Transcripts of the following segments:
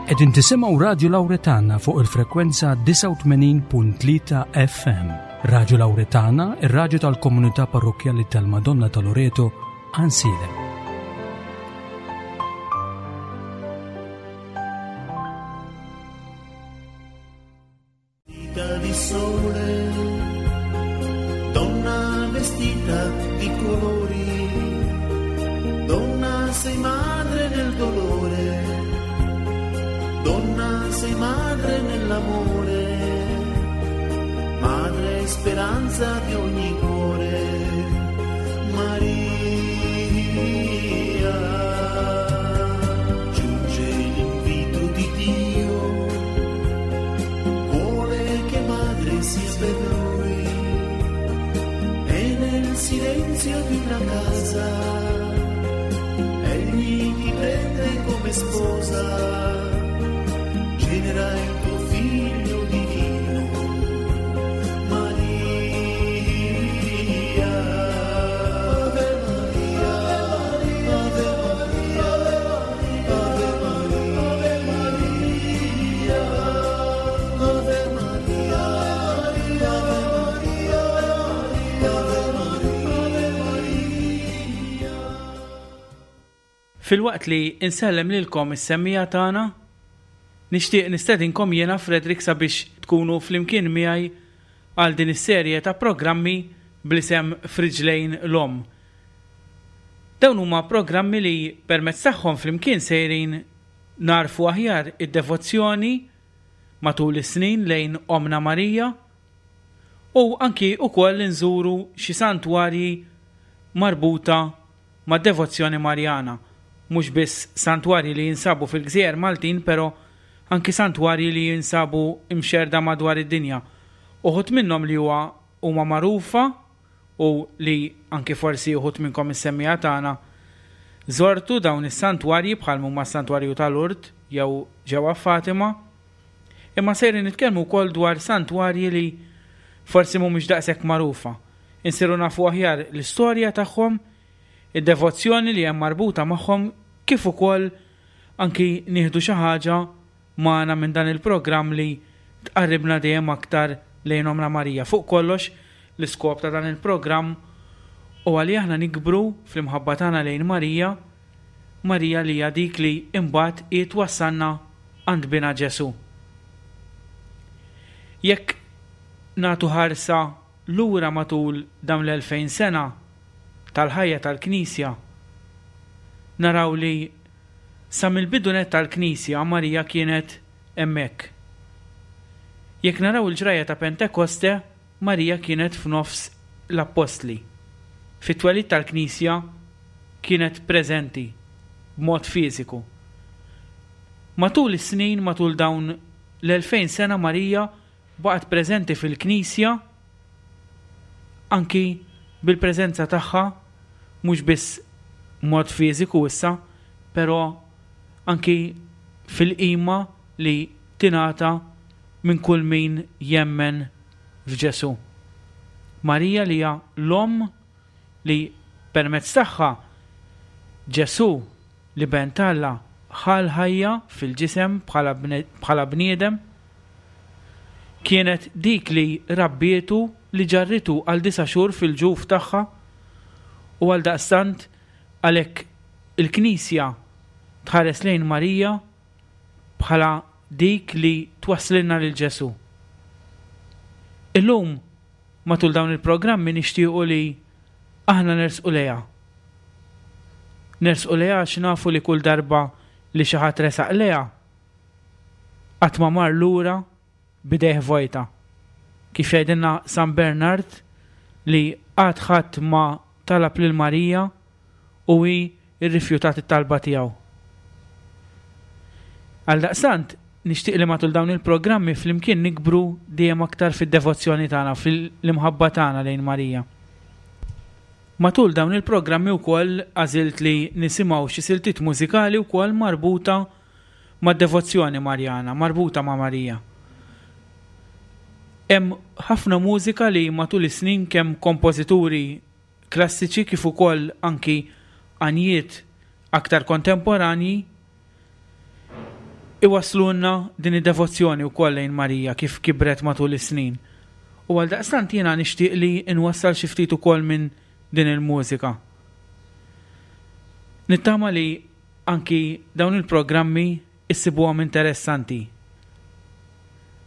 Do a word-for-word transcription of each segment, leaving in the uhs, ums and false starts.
Qegħdin tisimgħu Radju Lawretana fuq il-frekwenza disgħa u tmenin punt tlieta F M. Radju Lawretana, ir-radju tal-Komunità Parrokkjali tal-Madonna ta' Loreto, Għajnsielem. Vestita di sole, donna vestita di colori, donna sei madre nel dolore, donna sei madre nell'amore, madre speranza di ogni cuore, Maria. Giunge l'invito di Dio, vuole che madre sia per lui e nel silenzio di una casa egli ti prende come sposa, genera il tuo figlio divino, Maria. Ave Maria, Ave Maria, Ave Maria, Ave Maria, Ave Maria, Ave Maria. Filwaqt li insellem lilkom is-semmiegħa tagħna, nixtieq nistedinkom jiena Frederick sabiex tkunu flimkien miegħi għal din is-serje ta' programmi bl-isem F'Riġlejn l-Omm. Dawn huma programmi li permezz tagħhom flimkien sejrin nagħrfu aħjar id-devozzjoni matul is-snin lejn Omna Marija u anki ukoll nżuru xi santwarji marbuta ma' devozzjoni Marjana. Mhux biss santwarji li jinsabu fil-Gżejjer Maltin, però anki santwarji li jinsabu imxerda madwar id-dinja. Uħud minnhom li huwa huma magħrufa u li anki forsi uħud minnkom is-semmiegħa tagħna żortu dawn is-santwarji, bħal huma s-santwarju ta' Lourdes jew ġewwa Fatima. Imma sejrin nitkellmu wkoll dwar santwarji li forsi mhumiex daqshekk magħrufa. Insiru nafu aħjar l-istorja tagħhom, id-devozzjoni li hemm marbuta magħhom, kif ukoll anki nieħdu xi ħaġa magħna minn dan il-programm li tqarribna dejjem aktar lejn Omna Marija. Fuq kollox, l-iskop ta' dan il-programm u għalli aħna nikbru fl-imħabba tagħna lejn Marija, Marija li hija dik li imbagħad hi twassalna għand bina Ġesu. Jekk nagħtu ħarsa lura matul dawn l-elfejn sena tal-ħajja tal-Knisja, naraw li sa mill-bidu net tal-Knisja Marija kienet hemmhekk. Jekk naraw il-ġrajja ta' Pentekoste, Marija kienet f'nofs l-Appostli. Fit-twelid tal-Knisja kienet preżenti b'mod fiżiku. Matul is-snin, matul dawn l-elfejn sena, Marija baqgħet preżenti fil-Knisja anki bil-preżenza tagħha, mhux biss mod fiżiku issa, però anki fil-qima li tingħata minn kull min jemmen f'Ġesu. Marija li hija l-omm li permezz tagħha Ġesu li ben t'Alla ħa l-ħajja fil-ġisem bħala bniedem, kienet dik li rabbietu, li ġarritu għal disa' xhur fil-ġuf tagħha, u għal daqstant għalhekk il-Knisja tħares lejn Marija bħala dik li twasslilna lil Ġesu. Illum matul dawn il-programmi nixtiequ li aħna nersqu lejha. Nersqu lejha għax nafu li kull darba li xi ħadd resaq lejha qatt ma mar lura b'idejh vojta. Kif jgħidilna San Bernard, li qatt ħadd ma talab lil Marija u hi rrifjutat it-talba tiegħu. Għal daqstant, nixtieq li matul dawn il-programmi flimkien nikbru dejjem aktar fid-devozzjoni tagħna, fil-imħabba tagħna lejn Marija. Matul dawn il-programmi wkoll għażilt li nisimgħu xi siltiet mużikali wkoll marbuta mad-devozzjoni Marjana, marbuta ma' Marija. Hemm ħafna mużika li matul is-snin kemm kompożituri klassiċi kif ukoll anki għanjiet aktar kontemporanji iwaslulna din id-devozzjoni wkoll lejn Marija kif kibret matul is-snin. U għaldaqstant jiena nixtieq li nwassal xi ftit ukoll minn din il-mużika. Nittama li anki dawn il-programmi issibuhom interessanti.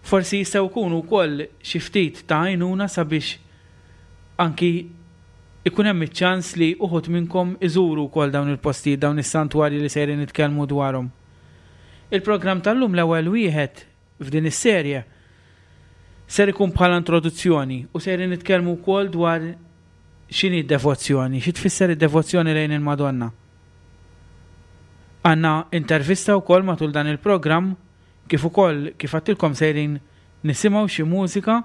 Forsi jistgħu jkunu wkoll xi ftit ta' għajnuna sabiex anki ikun hemm iċ-ċans li uħud minnkom iżuru wkoll dawn il-postijiet, dawn is-santwarji li sejrin nitkellmu dwarhom. Il-programm tal-lum, l-ewwel wieħed f'din is-serje, ser ikun bħala introduzzjoni u sejrin nitkellmu wkoll dwar x'inhi d-devozzjoni, xi tfisser id-devozzjoni lejn il-Madonna. Għandna intervista wkoll matul dan il-programm, kif ukoll, kif għedtilkom, sejrin nisimgħu xi mużika,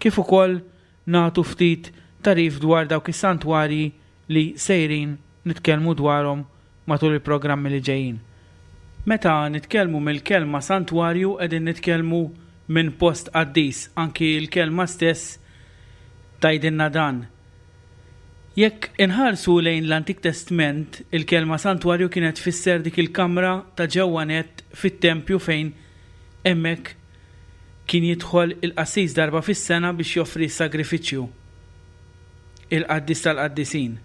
kif ukoll nagħtu ftit tagħrif dwar dawk is-santwarji li sejrin nitkellmu dwarhom matul il-programmi li ġejjin. Meta nitkellmu mill-kelma santwarju, qegħdin nitkellmu minn post qaddis, anki l-kelma stess tgħidilna dan. Jekk inħarsu lejn l-Antik Testament, il-kelma santwarju kienet tfisser dik il-kamra ta' ġewwa net fit-tempju fejn hemmhekk kien jidħol il-qassis darba fis-sena biex joffri s-sagrifiċċju, il-qaddis tal-qaddisin.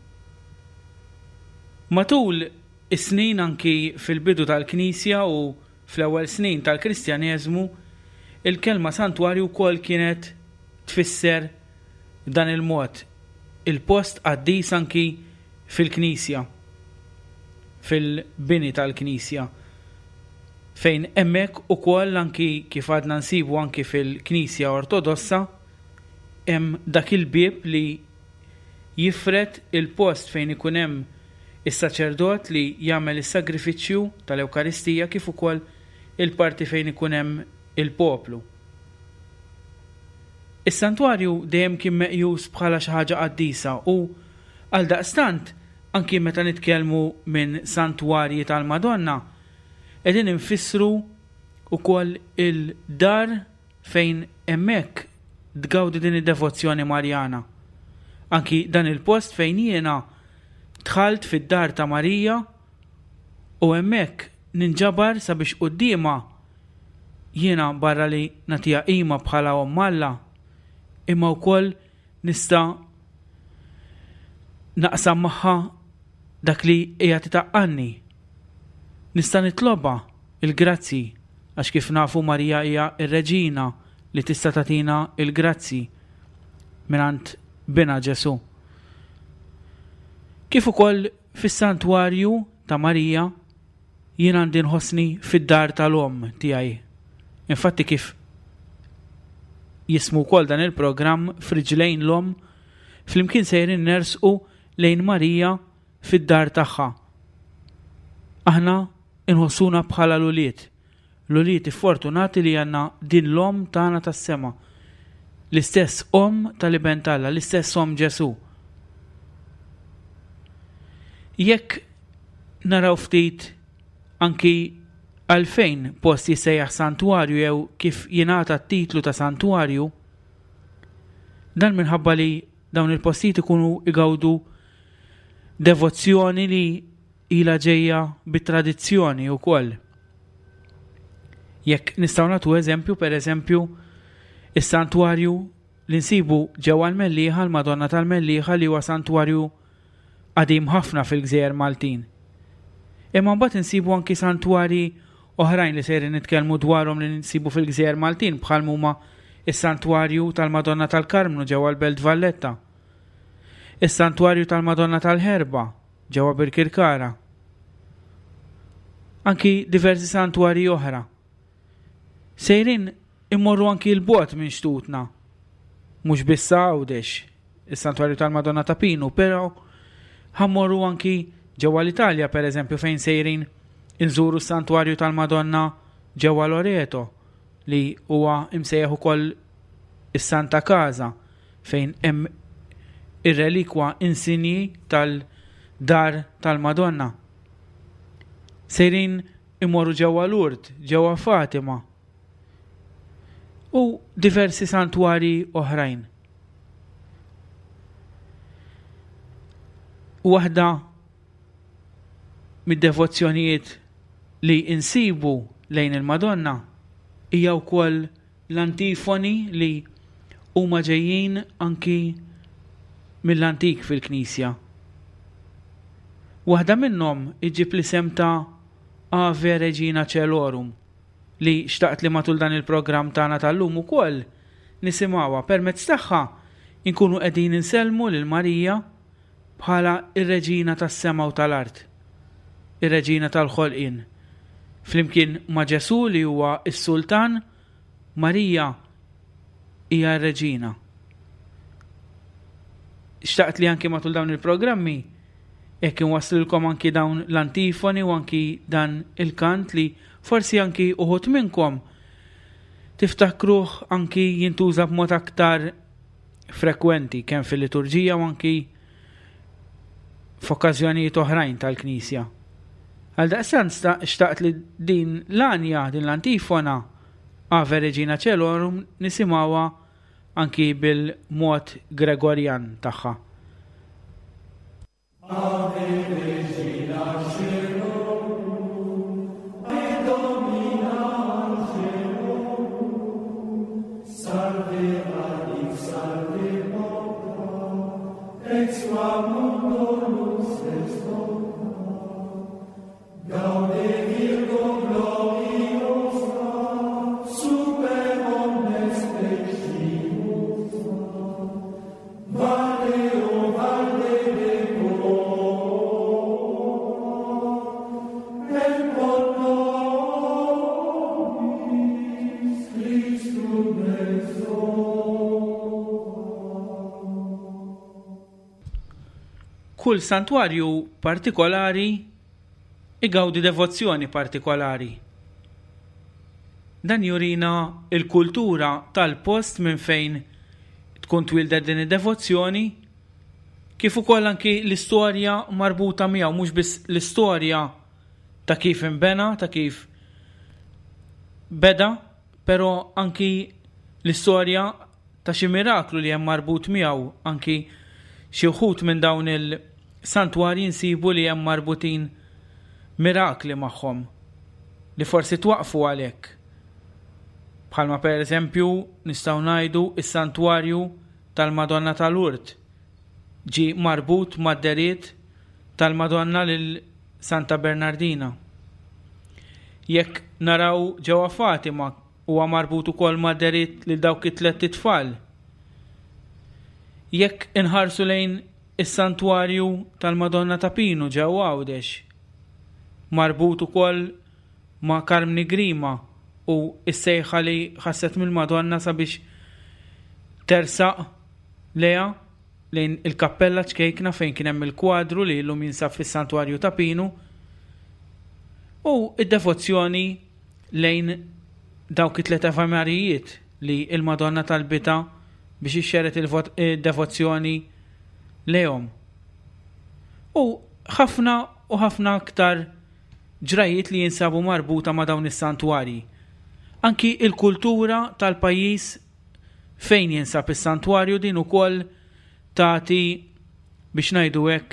Matul is-snin, anki fil-bidu tal-Knisja u fl-ewwel snin tal-Kristjaneżmu, il-kelma santwarju wkoll kienet tfisser dan il-mod, il-post qaddis anki fil-Knisja, fil-bini tal-Knisja, fejn hemmhekk ukoll, anki kif għadna nsibu anki fil-Knisja Ortodossa, hemm dak il-bieb li jifred il-post fejn ikun hemm is-saċerdot li jagħmel is-sagrifiċċju tal-Ewkaristija kif ukoll il-parti fejn ikun hemm il-poplu. Is-santwarju dejjem kien meqjus bħala xi ħaġa qaddisa u għaldaqstant anki meta nitkellmu minn santwarji tal-Madonna, qegħdin infissru ukoll il-dar fejn hemmhekk tgawdi din id-devozzjoni Marjana. Anki dan il-post fejn jiena dħalt fid-dar ta' Marija u hemmhekk ninġabar sabiex quddiemha jiena, barra li nagħtiha qima bħala omm Alla, imma wkoll nista' naqsam magħha dak li qiegħed itaqqalni. Nista' nitlobha il-grazzi, għax kif nafu Marija hija ir-reġina li tista' tagħtina il-grazzi mingħand bina Ġesu. Kif ukoll fis-santwarju ta' Marija jien għandi nħossni fid-dar tal-omm tiegħi. Infatti, kif jismu wkoll dan il-programm, F'Riġlejn l-Omm, flimkien sejrin nersqu lejn Marija fid-dar tagħha. Aħna inħossuna bħala l-ulied, l-ulied fortunati li għandna din l-omm tagħna tas-sema. L-istess omm tal-Iben t'Alla, l-istess omm Ġesu. Jekk naraw ftit anki għalfejn post jissejjaħ santwarju jew kif jingħata t-titlu ta' santwarju, dan minħabba li dawn il-postijiet ikunu igawdu devozzjoni li ila ġejja bit-tradizzjoni wkoll. Jekk nistgħu nagħtu eżempju, per eżempju, is-santwarju li nsibu ġewwa l-Mellieħa, l-Madonna tal-Mellieħa, li huwa santwarju qadim ħafna fil-Gżejjer Maltin. Imma mbagħad insibu anki santwarji oħrajn li sejrin nitkellmu dwarhom li nsibu fil-Gżejjer Maltin, bħal huma is-santwarju tal-Madonna tal-Karmnu ġewwa l-Belt Valletta, is-santwarju tal-Madonna tal-Ħerba ġewwa Birkirkara. Anki diversi santwarji oħra. Sejrin immorru anki 'l bogħod minn xtutna. Mhux biss Għawdex, is-santwarju tal-Madonna ta' Pinu, però ħa mmorru anki ġewwa l-Italja, per eżempju, fejn sejrin inżuru s-santwarju tal-Madonna ġewwa Loreto, li huwa imsejjaħ ukoll is-Santa Casa, fejn hemm ir-relikwa insinji tal-dar tal-Madonna. Sejrin imorru ġewwa Lourdes, ġewwa Fatima u diversi santwari oħrajn. Waħda mid-devozzjonijiet li insibu lejn il-Madonna hija wkoll l-antifoni li huma ġejjin anki mill-antik fil-Knisja. Waħda minnhom iġib l-isem ta' Ave Regina Caelorum, li xtaqt li matul dan il-programm tagħna tal-lum ukoll nisimgħuha. Permezz tagħha inkunu qegħdin insellmu lil Marija bħala ir-Reġina tas-sema u tal-art, ir-Reġina tal-ħolqien. Flimkien ma' Ġesù li huwa s-Sultan, Marija hija r-Reġina. Xtaqt li anki matul dawn il-programmi jekk inwasslilkom anki dawn l-antifoni u anki dan il-kant li forsi anki uħud minnkom tiftakruh anki jintuża b'mod aktar frekwenti kemm fil-liturġija u anki f'okkażjonijiet oħrajn tal-Knisja. Għaldaqstant xtaqt li din l-anja, din l-antifona Ave Regina Caelorum nisimgħuha anki bil-mod Gregorjan tagħha. Ave Regina Caelorum, et Domina Angelorum, salve radix, salve porta, ex qua mundo lux est docta. Gaude Virgo gloriosa, super omnes preciosa, valde o valde decora, et pro nobis Christum exora. Kull santwarju partikolari igawdi devozzjoni partikolari. Dan jurina il-kultura tal-post minn fejn tkun twildet din id-devozzjoni, kif ukoll anki l-istorja marbuta miegħu, mhux biss l-istorja ta' kif inbena, ta' kif beda, però anki l-istorja ta' xi miraklu li hemm marbut miegħu, anki xi wħud minn dawn il-santwarji nsibu li hemm marbutin mirakli magħhom li forsi twaqfu għalhekk. Bħalma per eżempju nistgħu ngħidu is-santwarju tal-Madonna tal-Lourdes ġie marbut mad-deriet tal-Madonna lil Santa Bernardina. Jekk naraw ġewwa Fatima huwa marbut ukoll mad-deriet lil dawk it-tliet itfal. Jekk inħarsu lejn is-santwarju tal-Madonna ta' Pinu ġewwa Għawdex, marbut ukoll ma' Karmni Grima u s-sejħa li ħasset mill-Madonna sabiex tersaq leha lejn il-kappella ċkejkna fejn kien hemm il-kwadru li llum jinsab fis-santwarju ta' Pinu, u id-devozzjoni lejn dawk it-tliet Ave Marijiet li il-Madonna talbitha biex ixxeret il-devozzjoni lejhom. U ħafna u ħafna aktar ġrajiet li jinsabu marbuta ma' dawn is-santwarji. Anki il-kultura tal-pajjiż fejn jinsab is-santwarju din ukoll tagħti, biex ngħidu hekk,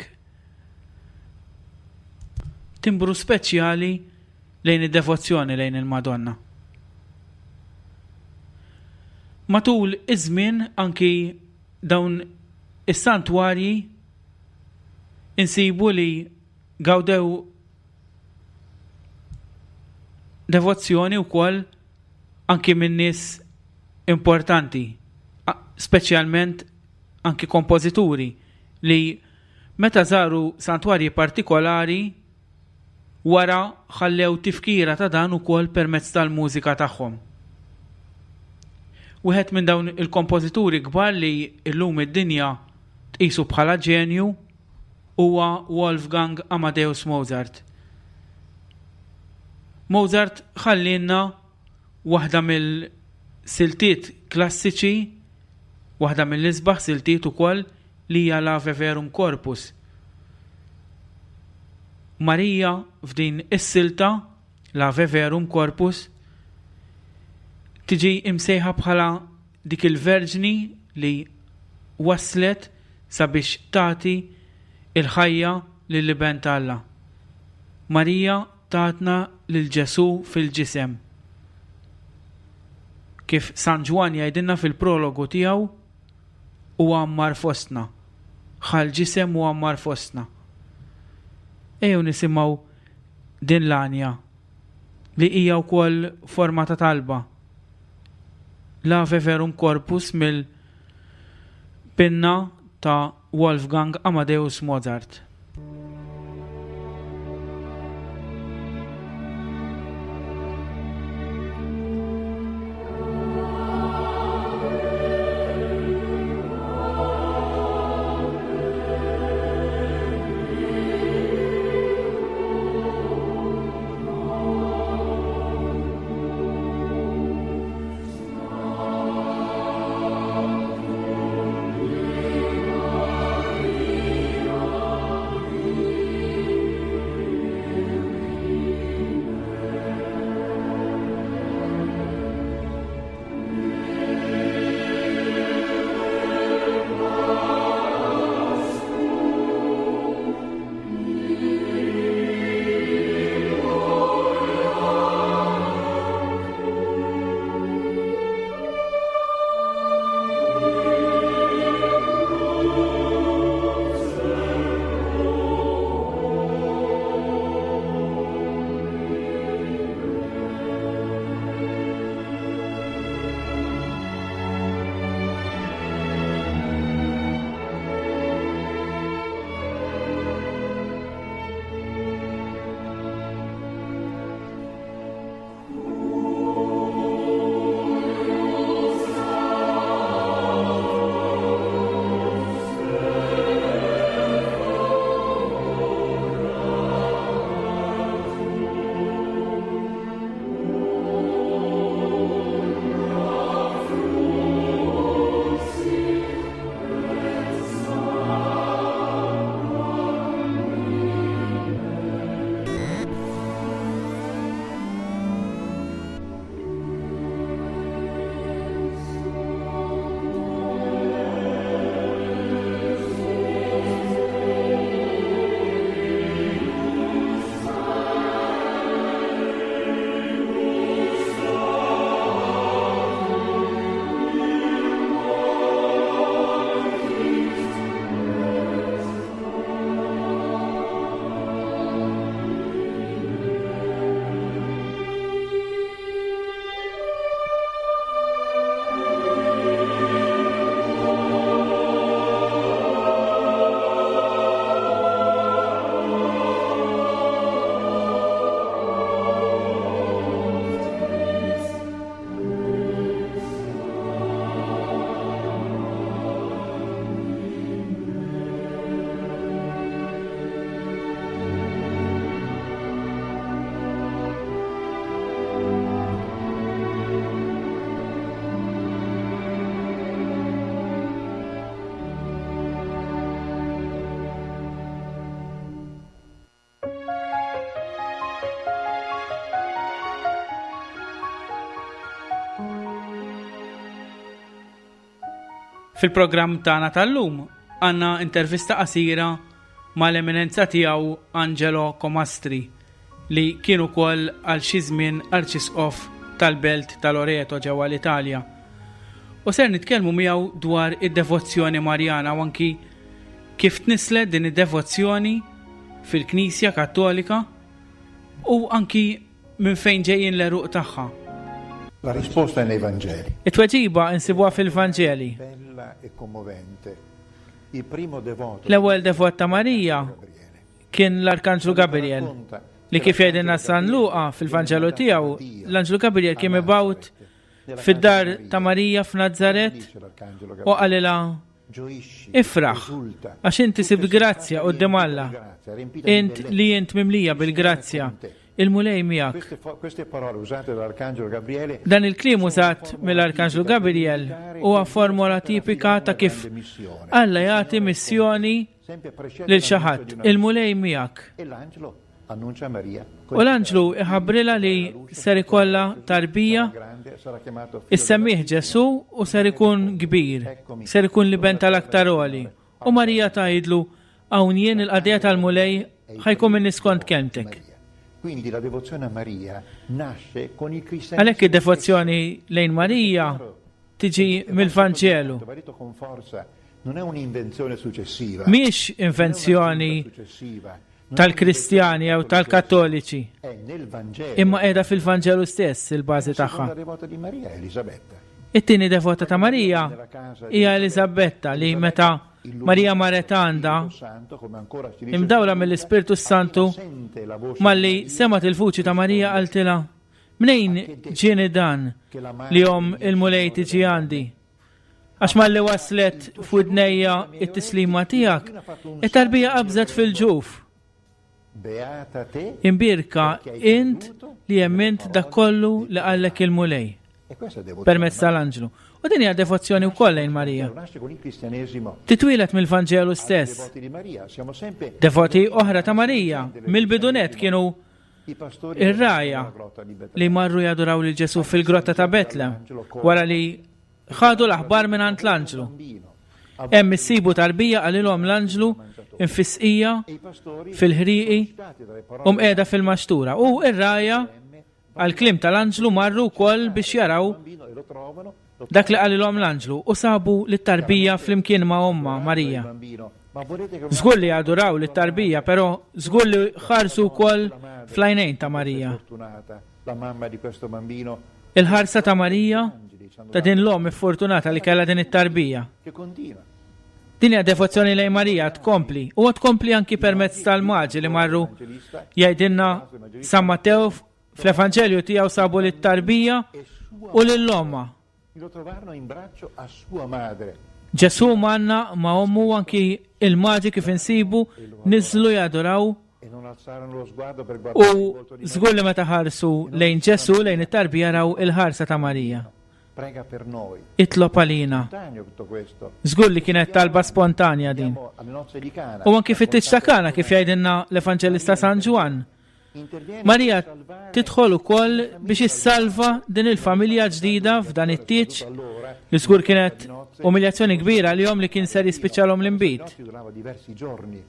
timbru speċjali lejn id-devozzjoni lejn il-Madonna. Matul iż-żmien anki dawn is-santwarji insibu li gawdew devozzjoni wkoll anki minn nies importanti, a-, speċjalment anki kompożituri li meta żaru santwarji partikolari wara ħallew tifkira ta' dan ukoll permezz tal-mużika tagħhom. Wieħed minn dawn il-kompożituri kbar li llum id-dinja tqisu bħala ġenju huwa Wolfgang Amadeus Mozart. Mozart ħallinna waħda mill-siltiet klassiċi, waħda mill-isbaħ siltiet ukoll li hija l-Ave Verum Corpus. Marija f'din is-silta, l-Ave Verum Corpus, tiġi imsejħa bħala dik il-Verġni li waslet sabiex tagħti il-ħajja lill-Iben t'Alla. Marija tatna lil Ġesù fil-ġisem. Kif San Ġwann jgħidilna fil-prologu tiegħu, u għammar fostna, ħa l-ġisem u għammar fostna. Ejjew nisimgħu din l-għanja li hija wkoll forma ta' talba. L-Ave Verum Corpus mill-pinna ta' Wolfgang Amadeus Mozart. Fil-programm tagħna tal-lum għandna intervista qasira mal-eminenza tiegħu Angelo Comastri li kien ukoll għal xi żmien arċisqof tal-belt ta' Loreto ġewwa l-Italja. U ser nitkellmu miegħu dwar id-devozzjoni Marjana u anki kif tnislet din id-devozzjoni fil-Knisja Kattolika u anki minn fejn ġejjin l-għeruq tagħha. La risposta è nei Vangeli. It-tweġiba insibuha fil-Vanġeli. Bella e commovente. Il primo devoto L-ewwel devot ta' Marija kien l-Arkanġlu Gabriel li kif jgħidilna San Luqa fil-Vanġelu tiegħu, l-Anġlu Gabriel kien mibgħut fid-dar ta' Marija f'Nazzaret u qalilha ifraħ għax inti sibt grazzja quddiem Alla. Int li int mimlija bil-grazzja, il-Mulej miegħek. Queste, fo- queste parole usate dall'Arcangelo Gabriele Dan il-kliem użat mill-Arkanġlu Gabriel huwa formola tipika ta' kif Alla jagħti missjoni sempre precede lil xi ħadd, il-Mulej miegħek. e l'angelo annuncia a Maria U l-anġlu iħabbrilha li ser ikollha tarbija grande sarà chiamato figlio issemmih Ġesù u ser ikun kbir, ser ikun l-iben tal-aktar għoli. U Marija tgħidlu hawn jien il-qadija tal-Mulej ħa jkun minni skont kelmtek. Maria. Quindi la devozione a Maria nasce con il cristianesimo. Għalhekk id-devozzjoni lejn Marija tiġi mill-Vanġelu. Va detto con forza, non è un'invenzione successiva. Mhix invenzjoni tal-Kristjani jew tal-Kattoliċi, È nel Vangelo. imma qiegħda fil-Vanġelu stess il-bażi La tagħha. seconda devota di Maria è Elisabetta. It-tieni devota ta' Marija hija Eliżabetta li meta Marija marret għandha imdawla mill-Ispirtu Santu malli semgħet il-vuċi ta' Marija qaltilha mnejn ġieni dan li omm il-Mulej tiġi għandi. Għax malli waslet f'widnejja it-tislima tiegħek, it-tarbija qabżet fil-ġuf. Beata te. Imbierka int li emmint dak kollu li qallek il-Mulej E questa è devozione. permezz tal-anġlu. U din hija devozzjoni wkoll lejn Marija. Nasce con il cristianesimo. Titwieled mill-Vanġelu stess. Devoti di Maria, siamo sempre Devoti oħra ta' Marija mill-bidu nett kienu i pastori ir-rgħajja della grotta di Betlemme. li marru jaduraw lil Ġesu fil-grotta ta' Betlem wara li ħadu l-aħbar minn għand l-anġlu. Bambino. Hemm issibu tarbija qalilhom l-anġlu imfisqija E i pastori fil-ħrieqi dati dalle u parole mqiegħda fil-maxtura. U ir-rgħajja għal-kliem tal-anġlu marru wkoll biex jaraw bambino e lo trovano, lo dak li qalilhom l-anġlu u sabu lit-tarbija flimkien ma' ommha Marija. bambino. Ma volete che Żgur li aduraw lit-tarbija, però żgur li ħarsu wkoll fl-għajnejn ta' Marija. fortunata la mamma di questo bambino Il-ħarsa ta' Marija ta' din l-omm iffortunata li kellha din it-tarbija. che continua. Din hija devozzjoni lejn Marija tkompli u tkompli anki permezz tal-maġi li marru jgħidilna San Mattew fl-Evanġelju tiegħu sabu lit-tarbija u lil ommha. Lo trovarono in braccio a sua madre. Ġesu manna ma' ommu anki il-maġi kif insibu niżlu jaduraw E non alzarono lo sguardo per guardare il u volto di Maria. żgur li meta ħarsu lejn Ġesu lejn it-tarbija raw il-ħarsa ta' Marija. Prega per noi. Itlob għalina. Spontaneo tutto questo. Żgur li kienet talba spontanja din. Andiamo alle nozze di Cana. U anki fit-tieġ ta' Kana kif jgħidilna l-Evanġelista San Ġwann. Interviene Marija per salvare tidħol ukoll biex issalva din il-familja ġdida f'dan it-tieġ allora li żgur kienet umiljazzjoni kbira li li kien ser jispiċċalhom l-inbid. nozze durava diversi giorni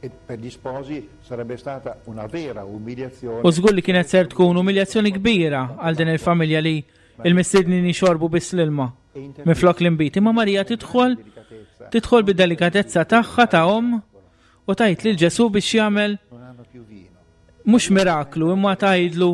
e per gli sposi sarebbe stata una vera umiliazione. U żgur li kienet ser tkun umiljazzjoni kbira għal din il-familja li il-mistednin jixorbu biss l-ilma E interviene minflok l-inbid. Imma Marija tidħol delicatezza. tidħol bid-delikatezza tagħha ta' omm u tgħid lil Ġesu biex jagħmel Non hanno più vino. mhux miraklu imma tgħidlu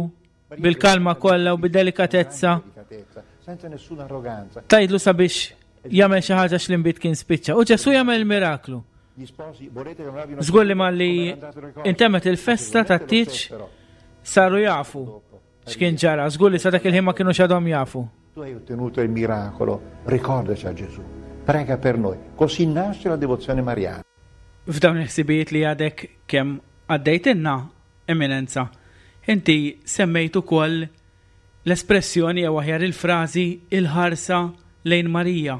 bil-kalma kollha u bid-delikatezza Delicatezza, senza nessuna arroganza. tgħidlu sabiex jagħmel xi ħaġa x'l-inbid kien spiċċa. U Ġesu jagħmel miraklu. Gli sposi volete che non abbiano Żgur li malli come era andato le cose? intemmet il-festa tat-tieġ Però saru jafu x'kien ġara. Żgur li sa dak il-ħin ma kienu xadhom jafu. tu hai ottenuto il miracolo, ricordaci a Gesù. Prega per noi. Così nasce la devozione mariana. F'dawn il-ħsibijiet li għadek kemm għaddejtilna eminenza, inti semmejt ukoll l-espressjoni jew aħjar il-frażi il-ħarsa lejn Marija.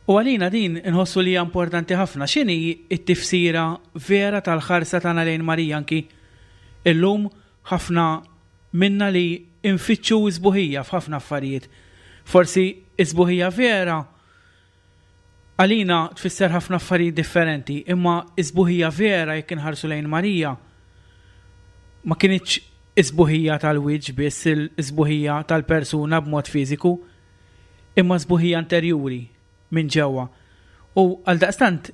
U għalina din inħossu li hija importanti ħafna. X'inhi t-tifsira vera tal-ħarsa tagħna lejn Marija anki illum ħafna minna li infittxu sbuħija f'ħafna affarijiet. Forsi sbuħija vera għalina tfisser ħafna affarijiet differenti, imma sbuħija vera jekk inħarsu lejn Marija ma kinitx isbuħija tal-wiċċ biss il-isbuħija tal-persuna b'mod fiżiku, imma sbuħija interjuri minn ġewwa. U għal daqstant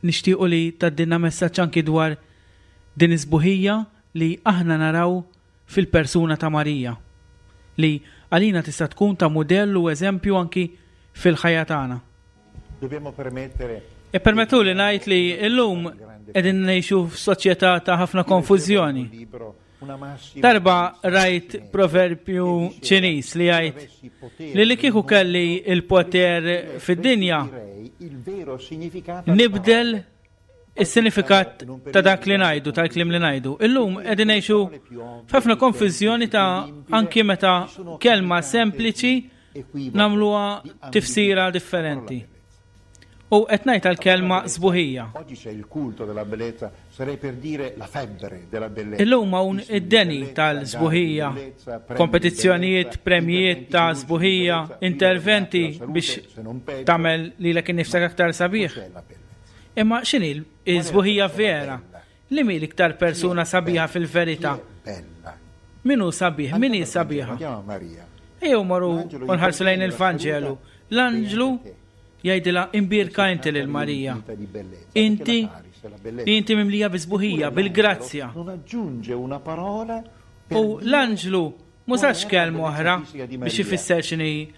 nixtiequ li tgħaddilna messaġġ anki dwar din isbuħija li aħna naraw fil-persuna ta' Marija li għalina tista' tkun ta' mudell u eżempju anki fil-ħajja tagħna. Dobbiamo permettere E permettu li ngħid li llum qegħdin ngħixu f'soċjetà ta' ħafna konfużjoni. un libro, una massima Darba rajt proverbju Ċiniż li jgħid li li kieku kelli il-poter fid-dinja direi il vero significato nibdel is-sinifikat ta' dak li ngħidu, tal-kliem li ngħidu. Illum qegħdin ngħixu f'ħafna konfużjoni ta' anki meta kelma sempliċi nagħmluha tifsira differenti. U qed ngħid għall-kelma sbuħija. Oggi c'è il culto della bellezza, sarei per dire la febbre della bellezza. Illum hawn id-deni tal-sbuħija, kompetizzjonijiet, premjijiet ta' sbuħija, interventi biex tagħmel lilek innifsek aktar sabiħ. C'è la bellezza. Imma x'inhi l-sbuħija vera? Li mi l-iktar persuna sabiħa fil-verità? Min hu sabiħ? Min hi sabiħa? Ejjew morru u nħarsu lejn il-Vanġelu. L-anġlu jgħidilha imbierka inti lil Marija. Inti li inti mimlija bi sbuħija, bil-grazzja. U l-anġlu m'użax kelma oħra biex ifisser x'inhi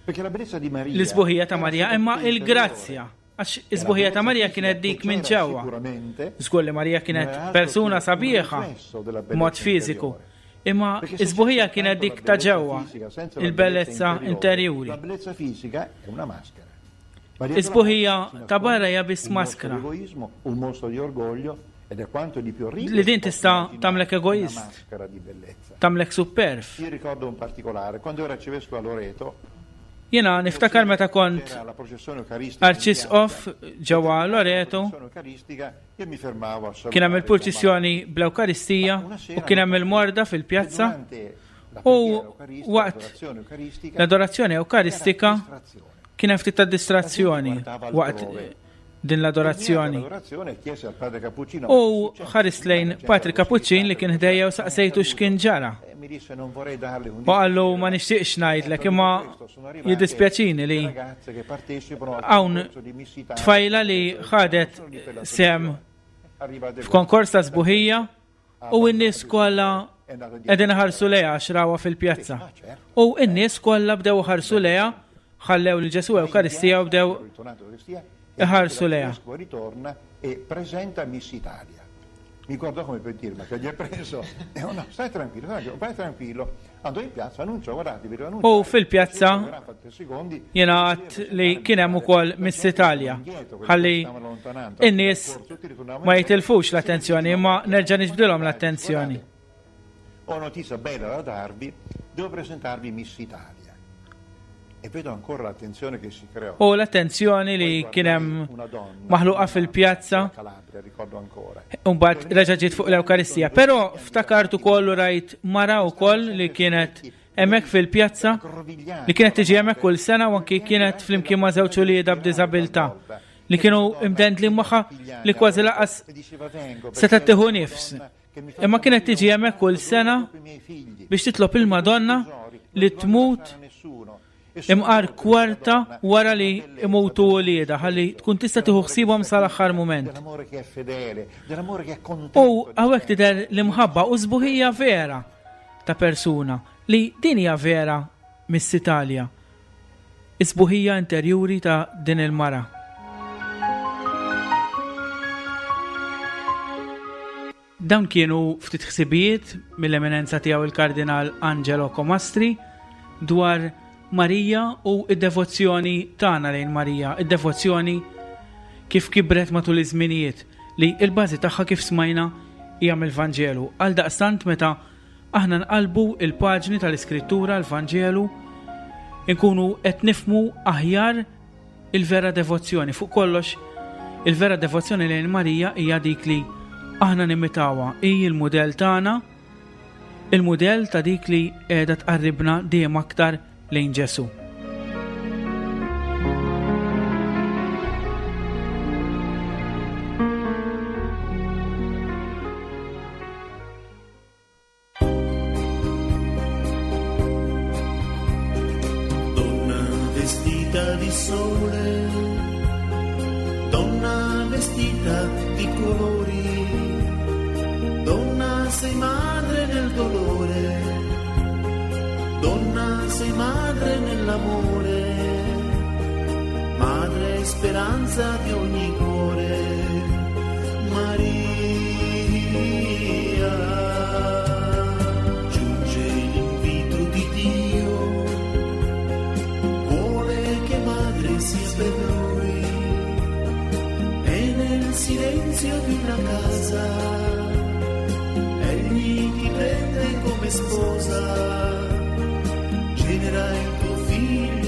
l-isbuħija ta' Marija, imma il-grazzja. Għax is-sbuħija ta' Marija kienet dik minn ġewwa. Żgur li Marija kienet persuna sabiħa b'mod fiżiku, imma is-sbuħija kienet dik ta' ġewwa, il-bellezza interjuri. Is-sbuħija ta' barra hija biss maskra. Li din tista' tagħmlek egoist, tagħmlek superb. Io ricordo un particolare, quando ero arcivescovo a Loreto, Jiena niftakar meta kont arċisqof ġewwa Loreto, kien hemm il-purċissjoni bl-Ewkaristija u kien hemm il-morda fil-pjazza u waqt l-adorazzjoni Ewkaristika kien hemm ftit ta' distrazzjoni waqt din l-adorazzjoni. U ħarist lejn Patri Kapuċċin li kien ħdejja u saqsejtu x'kien ġara. U qallu ma nixtieqx ngħidlek imma jiddispjaċini li hawn tfajla li ħadet sehem f'konkors ta' sbuħija u n-nies kollha qegħdin iħarsu lejha għax rawha fil-pjazza. U n-nies kollha bdew iħarsu lejha, ħallew lil Ġesù Ewkaristija u bdew iħarsu lejha. Ritorna e presenta Miss Italia. Mi guardò come per dirmi che gli è preso. E oh no, stai tranquillo, vai tranquillo. Andò in piazza, annunciò, guardate, vi devo U fil-pjazza jiena għedt li kien hemm ukoll Miss Italia. Ħalli in-nies ma jitilfux l-attenzjoni, imma nerġa' niġbdilhom l-attenzjoni. Ho notizia bella da darvi, devo presentarvi Miss Italia. E vedo ancora l'attenzione che si creò. U l-attenzjoni li kien hemm maħluqa fil-pjazza. U mbagħad reġa' ġiet fuq l-Ewkaristija. Però ftakart ukoll u rajt mara wkoll li kienet hemmhekk fil-pjazza, li kienet tiġi hemmhekk kull sena u anki kienet flimkien ma' żewġ uliedha b'diżabilità li kienu imdendli magħha li kważi lanqas setgħet tieħu nifs. Imma kienet tiġi hemmhekk kull sena biex titlob il-Madonna li tmut imqar kwarta wara li imutu uliedha ħalli tkun tista' tieħu ħsiebhom sal-aħħar mument. U hawnhekk tidher l-imħabba u sbuħija vera ta' persuna li din hija vera Miss Italia. Is-sbuħija interjuri ta' din il-mara. Dawn kienu ftit ħsibijiet mill-eminenza tiegħu il-Kardinal Angelo Comastri dwar Marija u id-devozzjoni tagħna lejn Marija, id-devozzjoni kif kibret matul iż-żminijiet li l-bażi tagħha kif smajna hija mill-Vanġelu. Għal daqstant meta aħna nqalbu il-paġni tal-Iskrittura, l-Vanġelu, inkunu qed nifhmu aħjar il-vera devozzjoni. Fuq kollox, il-vera devozzjoni lejn Marija hija dik li aħna nimitawha, hi l-mudell tagħna, il-mudell ta' dik li qiegħda tqarribna dejjem aktar lejn Ġesù. Donna vestita di sole, donna vestita di colori, donna sei madre nel dolore, donna sei madre nell'amore, madre speranza di ogni cuore, Maria. Giunge l'invito di Dio, vuole che madre sia per lui, e nel silenzio di una casa, egli ti prende come sposa. Genera il tuo figlio